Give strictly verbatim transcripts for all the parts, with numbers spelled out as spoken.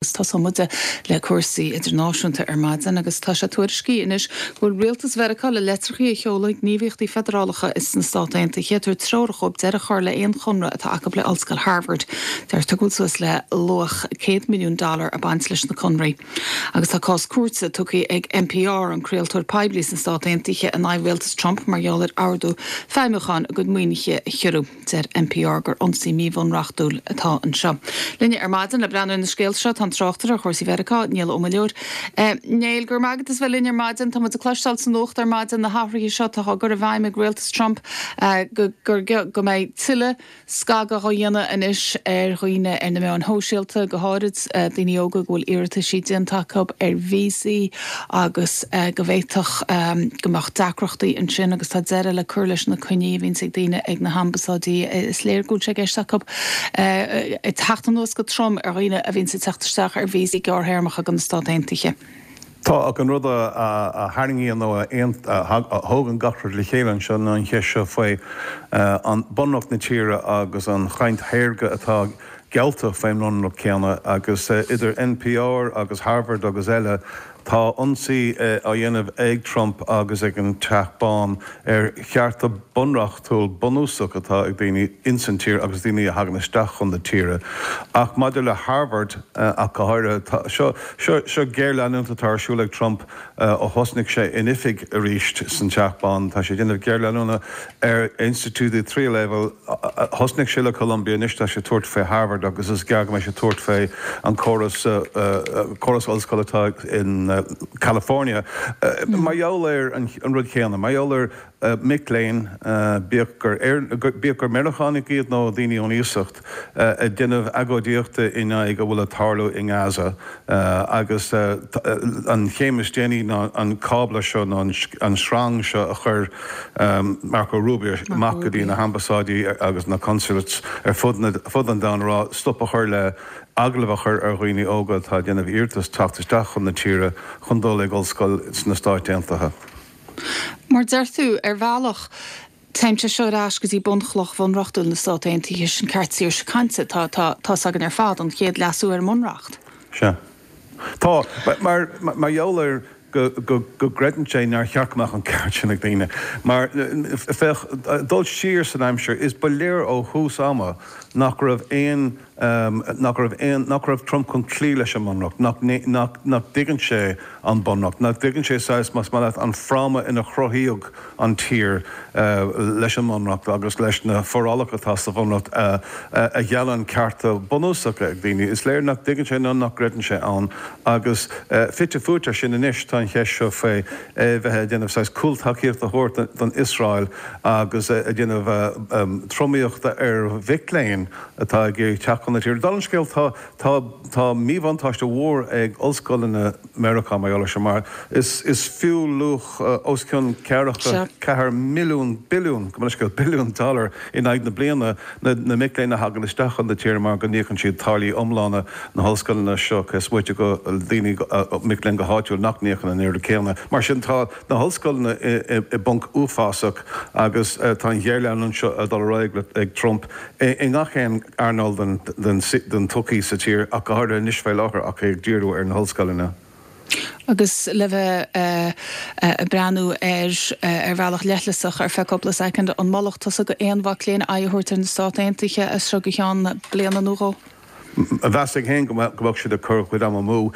Tosóidh muid le cúrsaí idirnáisiúnta ar maidin agus tá sé tuairiscithe anois go bhfuil rialtas Mheiriceá le litreacha a sheoladh chuig gníomhaíochtaí feidearálacha sna Stáit Aontaithe ag tabhairt treorach dóibh deireadh a chur le haon chonradh atá acu le Ollscoil Harvard. Deirtear go bhfuil suas le luach céad milliún dollar ag baint leis na conraí. Agus tá cás cúirte tugtha ag N P R, an craoltóir poiblí sna Stáit Aontaithe, in aghaidh rialtas Trump mar gheall ar ordú feidhmiúcháin a gcuid maoinithe a chiorrú. Deir N P R gur ionsaí míbhunreachtúil atá anseo. Linne ar maidin le breathnú ar na scéalta seo tá an tráchtaire ar chúrsaí Mheiriceá, Niall Ó Muilleoir. Niall, go raibh maith agat as bheith linn ar maidin. Tá muid ag cloisteáil sa nuacht ar maidin na hathruithe seo atá á gcur i bhfeidhm ag rialtas Trump go gur go mbeidh tuilleadh scagadh á dhéanamh anois ar dhaoine ar na meáin shóisialta, go háirid daoine óga go bhfuil iarrataisí déanta acu ar víosaí agus go bhféadfadh go mbeadh deacrachtaí ansin agus tá deireadh le cur leis na coinní a bhíonns ag daoine ag na hambasáidí. Is léir go bhfuil sé i gceist acu teacht anuas go trom ar dhaoine a bhíonns ag teacht isteach ar víosaí gearrthéarmacha go na Stáit Aontaithe. Tá, ach an rud a tharraingíonn nó a thógann gach rud le chéile anseo ná an cheist seo faoi an bunreacht na tíre agus an chaint shaorga atá geallta faoin mbunreacht céanna agus idir N P R agus Harvard agus eile, tá ionsaí á dhéanamh ag Trump agus ag an Teach Bán ar chearta bunreachtúil bunúsach atá ag daoine insan tír agus daoine a thagann isteach chun na tíre. Ach maidir le Harvard ach go háirithe, seo seo seo géarleanúint atá ar siúl ag Trump ó thosnaigh sé in oifig arís san Teach Bán. Tá sé déanamh géarleanúna ar institiúidí tríú leibhéal. Thosnaigh sé le Columbia, anois tá sé tabhairt fé Harvard agus is gearr go mbeidh sé tabhairt fé an córas córas ollscoile atá in California. Mar gheall ar an rud chéanna, mar gheall ar mic léinn, bíodh gur bíodh gur Meiriceánaigh iad nó daoine ón iasacht, ag déanamh agóidíochta in aghaidh a bhfuil ag tarlú i nGaza agus an chéim is déanaí ná an cábla seo nó an sreang seo a chuir Marco Rubio amach go dtí na hambasáidí agus na consulates ar fud fud an domhain rá stop a chur le agallamh a chur ar dhaoine óga atá déanamh iarratas teacht isteach chun na tíre chun dul ag ollscoil sna Stáit Aontaithe. Mar deir tú, ar bhealach, téann sé seo ar ais go dtí bunchloch bhunreachtúil na Stát Aontaithe, sin ceart saoirse cainte. Tá tá tá againn ar fad an chéad leasú ar an mbunreacht. Sea. Tá mar mar gheall ar go go gcreideann sé nár cheart go mbeadh an ceart sin ag daoine. Mar féach, dul siar san aimsir, is ba léir ó thús ama nach raibh aon nach raibh aon nach raibh Trump chun cloí leis an mbunreacht, nach nach nach dtuigeann sé an bunreacht, nach dtuigeann sé saghas, más maith leat, an fráma ina chruthaíodh an tír leis an mbunreacht agus leis na forálacha atá sa bhunreacht a gheallann cearta bunúsacha ag daoine. Is léir nach dtuigeann sé nó nach gcreideann sé ann agus fite fuaite sin anois tá an cheist seo faoi bheith ag déanamh saghas cúltacaíocht a thabhairt don Iosrael agus ag déanamh tromaíochta ar mhic léinn atá ag teacht chun na tíre. Dála an scéil, tá tá tá míbhuntáiste mhór ag ollscoileanna Meiriceá mar gheall seo, mar is is fiú luach os cionn ceathracha ceathair milliún billiún go scéal billiún dollar in aghaidh na bliana na na mic léinn a thagann isteach chun na tíre, mar go n-íocann siad táillí iomlána na hollscoileanna seo, cé is moite go daoine mic léinn go háitiúil nach n-íocann an oiread céanna. Mar sin tá na hollscoileanna i bponc uafásach agus tá an ghéarleanúint seo ag dul ar aghaidh ag Trump i ngach aon earnáil den den den tsochaí sa tír, ach go háirithe anois fé láthair ach ag díriú ar na hollscoileanna. Agus le bheith ag breathnú ar ar bhealach leithleasach ar feadh cúpla soicind, an molfadh tusa go aon mhac léinn aghaidh a thabhairt ar na Stáit Aontaithe as seo go ceann bliana nó dhó? Mheasfainn féin go mbeadh siad ag cur chuid ama amú.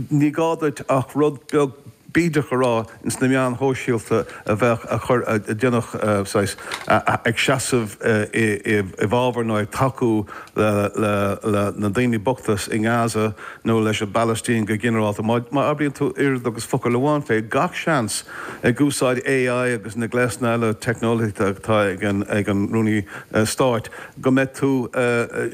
Ní gá duit ach rud beag bídeach a rá ins na meáin shóisialta a bheadh a chur a déanadh saghas ag seasamh i bhfabhar nó ag tacú le le na daoine bochta i nGaza nó leis an bPalaistín go ginearálta. Má abraíonn tú oiread agus focal amháin fé, gach seans ag úsáid A I agus na gléasanna eile teicneolaíochta atá ag an ag an rúnaí stáit go mbeidh tú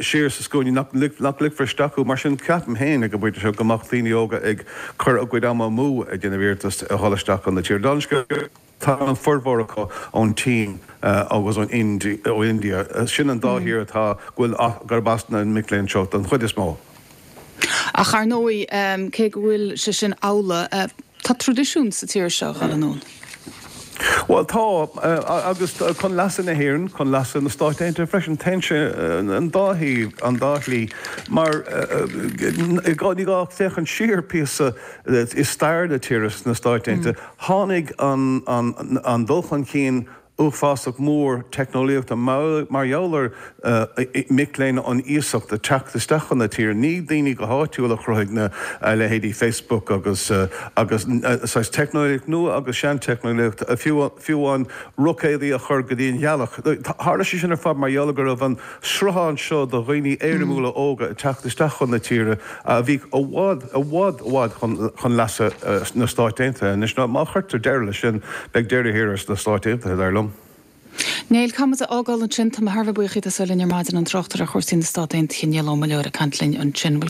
siar sa scuaine, nach nach ligfear isteach thú. Mar sin ceapaim féin ag an bpointe seo go mbeadh daoine óga ag cur a gcuid ama amú ag déanamh iarratas a dhul isteach chun na tíre. Dála an scéil, tá an formhór acu ón tSín agus ón ó India. Sin an dá thír atá go bhfuil gurb as na mic léinn seo don chuid is mó. Ach ar ndóigh, cé go bhfuil sé sin amhlaidh, tá traidisiún sa tír seo dhul anonn. Well tá agus chun leasa na hÉireann chun leasa na Stát Aontaithe freisin téann sé an dá thaobh an dá shlí mar ní gá féachaint siar píosa i stair na tíre sna Stáit Aontaithe. Tháinig an, an, an dul chun cinn uafásach mór teicneolaíochta mar gheall ar mic léinn ón iasacht ag teacht isteach chun na tíre. Ní daoine go háitiúil a chruthaigh na leithéidí Facebook agus agus saghas teicneolaíocht nua agus seanteicneolaíocht fiú fiú amháin roicéadaí a chur go dtí an ghealach. Tharla sé sin ar fad mar gheall go raibh an sruthán seo de dhaoine éirimiúla óga ag teacht isteach chun na tíre a bhí i bhfad i bhfad i bhfad chun chun leasa na Stáit Aontaithe. Anois má chuirtear deireadh leis sin beidh deireadh thiar sna Stáit Aontaithe dar liom. Néill caithfidh muid a fhágáil ansin tá mé thar a bheith buíoch as a bheith linn ar maidin an tráchtaire ar chúrsaí na Stát Aontaithe Niall Ó Muilleoir ag caint linn ansin.